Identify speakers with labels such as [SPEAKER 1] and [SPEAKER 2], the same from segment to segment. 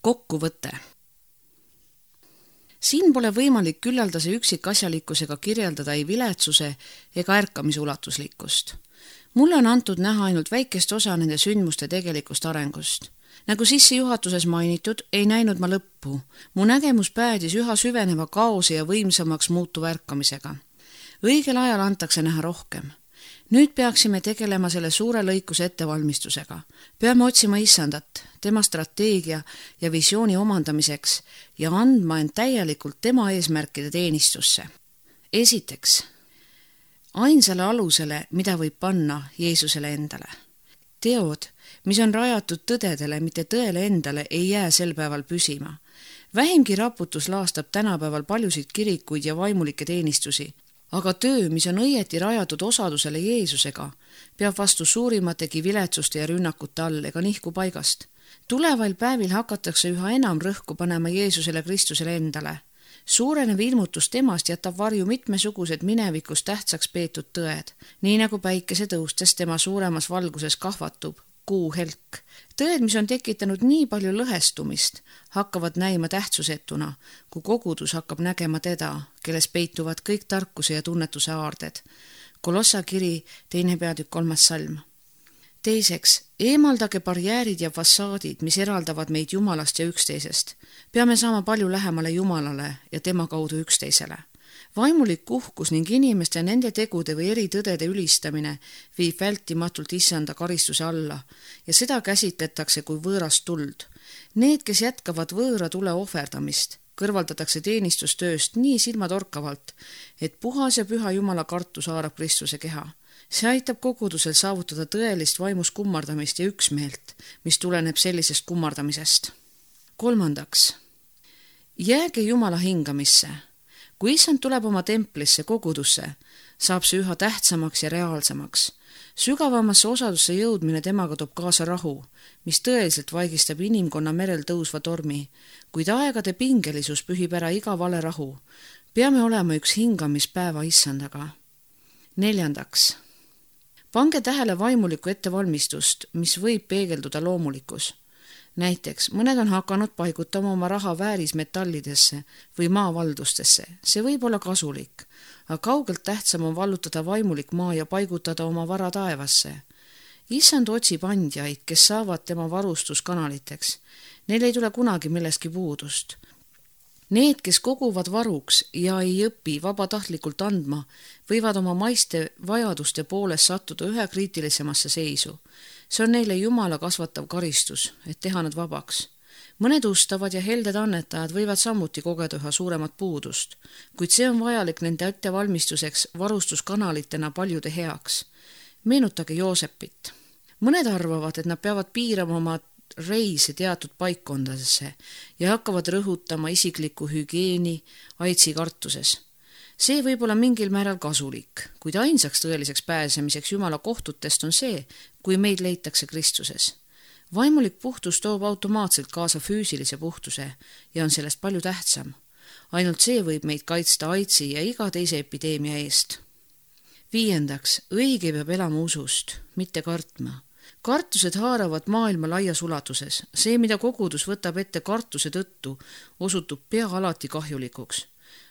[SPEAKER 1] Kokkuvõte. Siin pole võimalik küllaldase üksikasjalikkusega kirjeldada ei viletsuse ega ärkamisulatuslikkust. Mulle on antud näha ainult väikest osa nende sündmuste tegelikust arengust. Nagu sissejuhatuses mainitud, ei näinud ma lõppu. Mu nägemus päädis üha süveneva kaose ja võimsamaks muutuva ärkamisega. Õigel ajal antakse näha rohkem. Nüüd peaksime tegelema selle suure lõikuse ettevalmistusega. Peame otsima Issandat, tema strateegia ja visiooni omandamiseks ja andma end täielikult tema eesmärkide teenistusse. Esiteks, ainsale alusele, mida võib panna Jeesusele endale. Teod, mis on rajatud tõdedele, mitte tõele endale, ei jää sel päeval püsima. Vähimgi raputus laastab tänapäeval paljusid kirikuid ja vaimulikke teenistusi, aga töö, mis on õieti rajatud osadusele Jeesusega, peab vastu suurimategi viletsuste ja rünnakute all ega nihku paigast. Tulevail päevil hakatakse üha enam rõhku panema Jeesusele Kristusele endale. Suurenev ilmutus temast jätab varju mitmesugused minevikus tähtsaks peetud tõed, nii nagu päikese tõustes tema suuremas valguses kahvatub kuu helk. Tõed, mis on tekitanud nii palju lõhestumist, hakkavad näima tähtsusetuna, kui kogudus hakkab nägema teda, kelles peituvad kõik tarkuse ja tunnetuse aarded. Kolossa kiri 2. peatükk 3. salm. Teiseks, eemaldage barjäärid ja fassaadid, mis eraldavad meid Jumalast ja üksteisest. Peame saama palju lähemale Jumalale ja tema kaudu üksteisele. Vaimulik uhkus ning inimeste nende tegude või eritõdede ülistamine viib vältimatult Issanda karistuse alla ja seda käsitletakse kui võõrast tuld. Need, kes jätkavad võõra tule ohverdamist, kõrvaldatakse teenistustööst nii silmatorkavalt, et puhas ja püha Jumala kartus haarab Kristuse keha. See aitab kogudusel saavutada tõelist vaimus kummardamist ja üksmeelt, mis tuleneb sellisest kummardamisest. Kolmandaks, jääge Jumala hingamisse. Kui Issand tuleb oma templisse, kogudusse, saab see üha tähtsamaks ja reaalsemaks. Sügavamasse osadusse jõudmine temaga toob kaasa rahu, mis tõeliselt vaigistab inimkonna merel tõusva tormi, kuid aegade pingelisus pühib ära iga vale rahu. Peame olema üks hingamispäeva Issandaga. Neljandaks, pange tähele vaimulikku ettevalmistust, mis võib peegelduda loomulikus. Näiteks, mõned on hakanud paigutama oma raha väärismetallidesse või maavaldustesse. See võib olla kasulik, aga kaugelt tähtsam on vallutada vaimulik maa ja paigutada oma vara taevasse. Issand otsib andjaid, kes saavad tema varustuskanaliteks. Neil ei tule kunagi millestki puudust. Need, kes koguvad varuks ja ei õpi vabatahtlikult andma, võivad oma maiste vajaduste poolest sattuda ühe kriitilisemasse seisu. See on neile Jumala kasvatav karistus, et teha nad vabaks. Mõned ustavad ja helded annetajad võivad samuti kogeda üha suuremat puudust, kuid see on vajalik nende ettevalmistuseks varustuskanalitena paljude heaks. Meenutage Joosepit. Mõned arvavad, et nad peavad piirama oma reise teatud paikkondadesse ja hakkavad rõhutama isiklikku hügieeni aitsi kartuses. See võib olla mingil määral kasulik, kuid ainsaks tõeliseks pääsemiseks Jumala kohtutest on see, kui meid leitakse Kristuses. Vaimulik puhtus toob automaatselt kaasa füüsilise puhtuse ja on sellest palju tähtsam. Ainult see võib meid kaitsta aitsi ja iga teise epideemia eest. Viiendaks, õige peab elama usust, mitte kartma. Kartused haaravad maailma laias ulatuses. See, mida kogudus võtab ette kartuse tõttu, osutub pea alati kahjulikuks.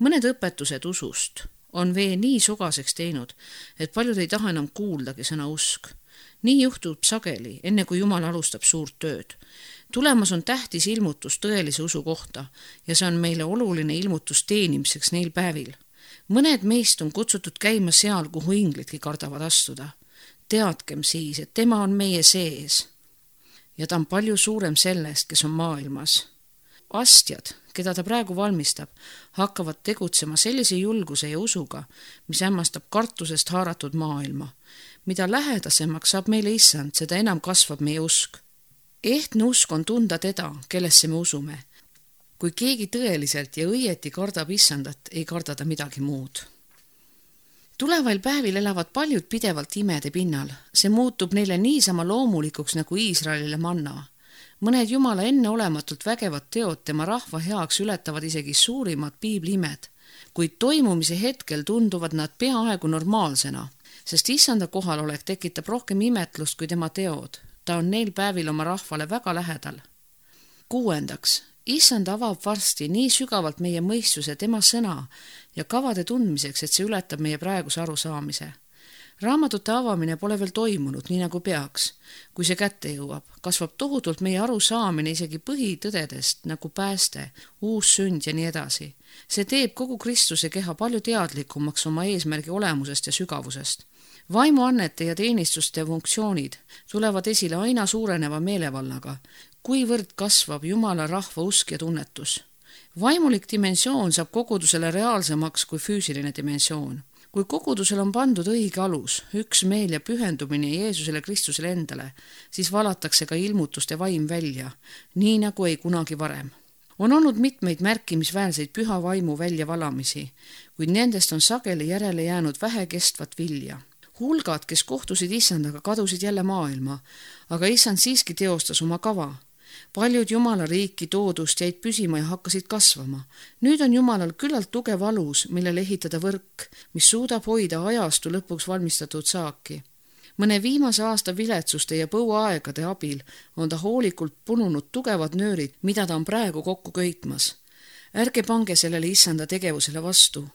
[SPEAKER 1] Mõned õpetused usust on vee nii sogaseks teinud, et paljud ei taha enam kuuldagi sõna usk. Nii juhtub sageli, enne kui Jumal alustab suurt tööd. Tulemas on tähtis ilmutus tõelise usu kohta ja see on meile oluline ilmutus teenimiseks neil päevil. Mõned meist on kutsutud käima seal, kuhu inglidki kardavad astuda. Teadkem siis, et tema on meie sees ja ta on palju suurem sellest, kes on maailmas. Astjad, keda ta praegu valmistab, hakkavad tegutsema sellise julguse ja usuga, mis hämmastab kartusest haaratud maailma. Mida lähedasemaks saab meile Issand, seda enam kasvab meie usk. Ehtne usk on tunda teda, kellesse me usume. Kui keegi tõeliselt ja õieti kardab Issandat, ei karda ta midagi muud. Tulevail päevil elavad paljud pidevalt imede pinnal. See muutub neile niisama loomulikuks nagu Iisraelile manna. Mõned Jumala enneolematult vägevad teod tema rahva heaks ületavad isegi suurimad piibliimed, kuid toimumise hetkel tunduvad nad peaaegu normaalsena, sest Issanda kohalolek tekitab rohkem imetlust kui tema teod. Ta on neil päevil oma rahvale väga lähedal. 6. Issand avab varsti nii sügavalt meie mõistuse tema sõna ja kavade tundmiseks, et see ületab meie praeguse arusaamise. Raamatute avamine pole veel toimunud, nii nagu peaks. Kui see kätte jõuab, kasvab tohutult meie arusaamine isegi põhitõdedest, nagu pääste, uus sünd ja nii edasi. See teeb kogu Kristuse keha palju teadlikumaks oma eesmärgi olemusest ja sügavusest. Vaimuannete ja teenistuste funktsioonid tulevad esile aina suureneva meelevallaga, kuivõrd kasvab Jumala rahva usk ja tunnetus. Vaimulik dimensioon saab kogudusele reaalsemaks kui füüsiline dimensioon. Kui kogudusel on pandud õige alus, üksmeel ja pühendumine Jeesusele Kristusele endale, siis valatakse ka ilmutuste vaim välja, nii nagu ei kunagi varem. On olnud mitmeid märkimisväärseid püha vaimu väljavalamisi, kuid nendest on sageli järele jäänud vähe kestvat vilja. Hulgad, kes kohtusid Issandaga, kadusid jälle maailma, aga Issand siiski teostas oma kava. Paljud Jumala riiki toodust jäid püsima ja hakkasid kasvama. Nüüd on Jumalal küllalt tugev alus, millele ehitada võrk, mis suudab hoida ajastu lõpuks valmistatud saaki. Mõne viimase aasta viletsuste ja põuaegade abil on ta hoolikult pununud tugevad nöörid, mida ta on praegu kokku köitmas. Ärge pange sellele Issanda tegevusele vastu.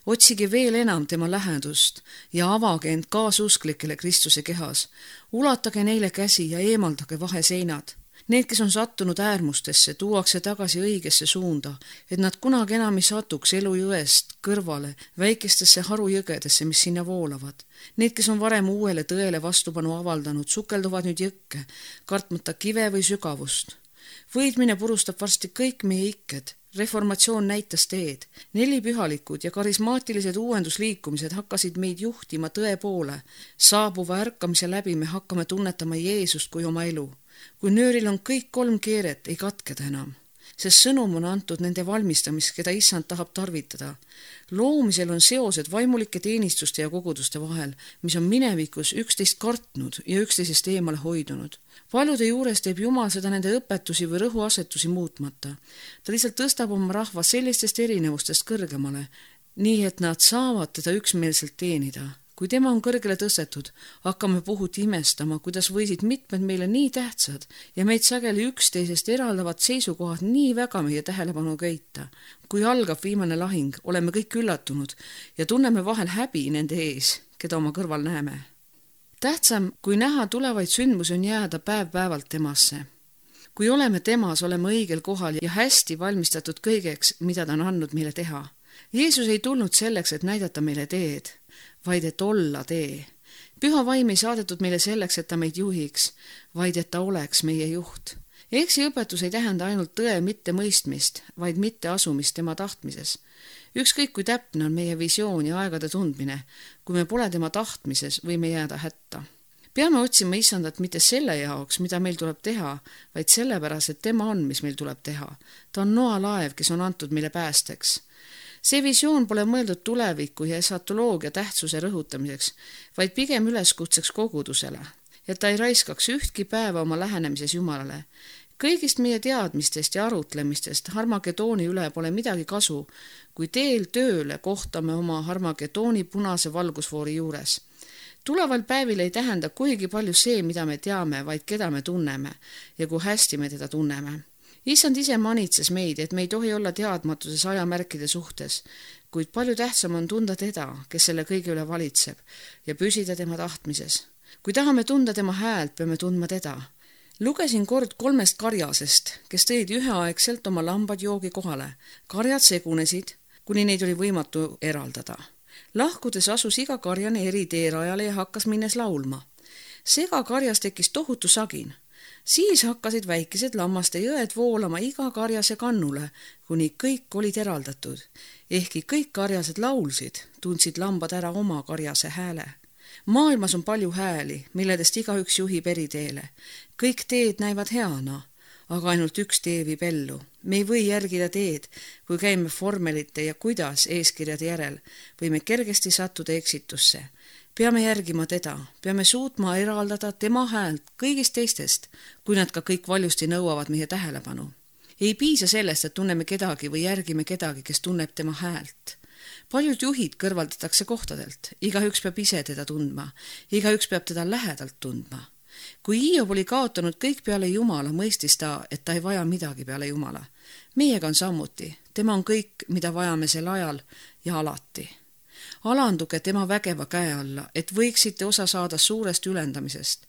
[SPEAKER 1] Otsige veel enam tema lähedust ja avage end kaasusklikele Kristuse kehas. Ulatage neile käsi ja eemaldage vaheseinad. Need, kes on sattunud äärmustesse, tuuakse tagasi õigesse suunda, et nad kunagi enam ei satuks elujõest kõrvale väikestesse harujõgedesse, mis sinna voolavad. Need, kes on varem uuele tõele vastupanu avaldanud, sukelduvad nüüd jõkke, kartmata kive või sügavust. Võidmine purustab varsti kõik meie ikked. Reformatsioon näitas teed. 4 pühalikud ja karismaatilised uuendusliikumised hakkasid meid juhtima tõe poole. Saabuva ärkamise läbi me hakkame tunnetama Jeesust kui oma elu. Kui nööril on kõik 3 keeret, ei katkeda enam. Sest sõnum on antud nende valmistamist, keda Issand tahab tarvitada. Loomisel on seosed vaimulike teenistuste ja koguduste vahel, mis on minevikus üksteist kartnud ja üksteisest eemale hoidunud. Paljude juures teeb Jumal seda nende õpetusi või rõhuasetusi muutmata. Ta lihtsalt tõstab oma rahva sellistest erinevustest kõrgemale, nii et nad saavad teda üksmeelselt teenida. Kui tema on kõrgele tõstetud, hakkame puhuti imestama, kuidas võisid mitmed meile nii tähtsad ja meid sageli üksteisest eraldavad seisukohad nii väga meie tähelepanu köita. Kui algab viimane lahing, oleme kõik üllatunud ja tunneme vahel häbi nende ees, keda oma kõrval näeme. Tähtsam, kui näha tulevaid sündmusi, on jääda päev-päevalt temasse. Kui oleme temas, oleme õigel kohal ja hästi valmistatud kõigeks, mida ta on andnud meile teha. Jeesus ei tulnud selleks, et näidata meile teed, vaid et olla tee. Püha vaim ei saadetud meile selleks, et ta meid juhiks, vaid et ta oleks meie juht. Eksiõpetus ei tähenda ainult tõe mitte mõistmist, vaid mitte asumist tema tahtmises. Ükskõik kui täpne on meie visioon ja aegade tundmine, kui me pole tema tahtmises, võime jääda hätta. Peame otsima Issandat mitte selle jaoks, mida meil tuleb teha, vaid sellepärast, et tema on, mis meil tuleb teha. Ta on noalaev, kes on antud meile päästeks. See visioon pole mõeldud tuleviku ja esatoloogia tähtsuse rõhutamiseks, vaid pigem üleskutseks kogudusele, et ta ei raiskaks ühtki päeva oma lähenemises Jumalale. Kõigist meie teadmistest ja arutlemistest Harmagedooni üle pole midagi kasu, kui teel tööle kohtame oma Harmagedooni punase valgusfoori juures. Tuleval päevil ei tähenda kuigi palju see, mida me teame, vaid keda me tunneme ja kui hästi me teda tunneme. Issand ise manitses meid, et me ei tohi olla teadmatuses ajamärkide suhtes, kuid palju tähtsam on tunda teda, kes selle kõige üle valitseb ja püsida tema tahtmises. Kui tahame tunda tema häält, peame tundma teda. Lugesin kord 3 karjasest, kes tõid üheaegselt oma lambad joogi kohale. Karjad segunesid, kuni neid oli võimatu eraldada. Lahkudes asus iga karjane eri teerajale ja hakkas minnes laulma. Sega karjas tekkis tohutu sagin. Siis hakkasid väikesed lammaste jõed voolama iga karjase kannule, kuni kõik olid eraldatud. Ehkki kõik karjased laulsid, tundsid lambad ära oma karjase hääle. Maailmas on palju hääli, milledest igaüks juhib eri teele. Kõik teed näivad heana, aga ainult üks tee viib ellu. Me ei või järgida teed, kui käime formelite ja kuidas eeskirjade järel, võime kergesti sattuda eksitusse. Peame järgima teda, peame suutma eraldada tema häält kõigist teistest, kui nad ka kõik valjusti nõuavad meie tähelepanu. Ei piisa sellest, et tunneme kedagi või järgime kedagi, kes tunneb tema häält. Paljud juhid kõrvaldatakse kohtadelt, igaüks peab ise teda tundma, igaüks peab teda lähedalt tundma. Kui Hiob oli kaotanud kõik peale Jumala, mõistis ta, et ta ei vaja midagi peale Jumala. Meiega on samuti, tema on kõik, mida vajame sel ajal ja alati. Alanduge tema vägeva käe alla, et võiksite osa saada suurest ülendamisest.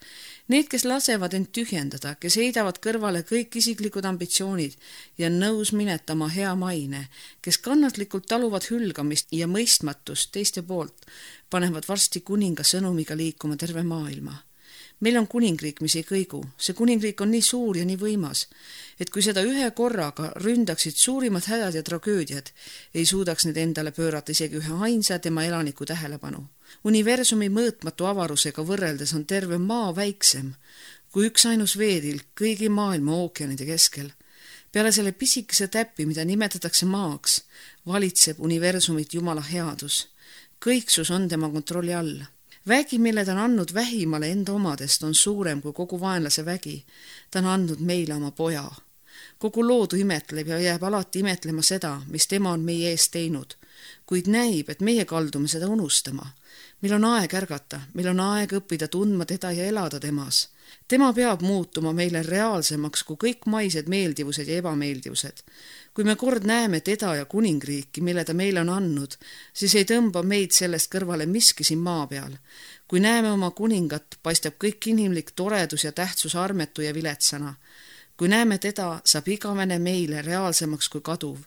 [SPEAKER 1] Need, kes lasevad end tühjendada, kes heidavad kõrvale kõik isiklikud ambitsioonid ja nõus minetama hea maine, kes kannatlikult taluvad hülgamist ja mõistmatust teiste poolt, panevad varsti kuninga sõnumiga liikuma terve maailma. Meil on kuningriik, mis ei kõigu. See kuningriik on nii suur ja nii võimas, et kui seda ühe korraga ründaksid suurimad hädad ja tragöödiad, ei suudaks need endale pöörata isegi ühe ainsa tema elaniku tähelepanu. Universumi mõõtmatu avarusega võrreldes on terve maa väiksem kui üks ainus veetilk kõigi maailma ookeanide keskel. Peale selle pisikese täppi, mida nimetatakse maaks, valitseb universumit Jumala headus. Kõiksus on tema kontrolli all. Vägi, mille ta on andnud vähimale enda omadest, on suurem kui kogu vaenlase vägi. Ta on andnud meile oma poja. Kogu loodu imetleb ja jääb alati imetlema seda, mis tema on meie eest teinud. Kuid näib, et meie kaldume seda unustama. Meil on aeg ärgata, meil on aeg õppida tundma teda ja elada temas. Tema peab muutuma meile reaalsemaks kui kõik maised meeldivused ja ebameeldivused. Kui me kord näeme teda ja kuningriiki, mille ta meile on andnud, siis ei tõmba meid sellest kõrvale miski siin maa peal. Kui näeme oma kuningat, paistab kõik inimlik toredus ja tähtsus armetu ja viletsana. Kui näeme teda, saab igavene meile reaalsemaks kui kaduv.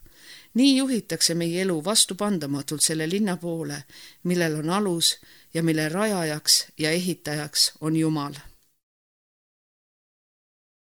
[SPEAKER 1] Nii juhitakse meie elu vastupandamatult selle linna poole, millel on alus ja mille rajajaks ja ehitajaks on Jumal.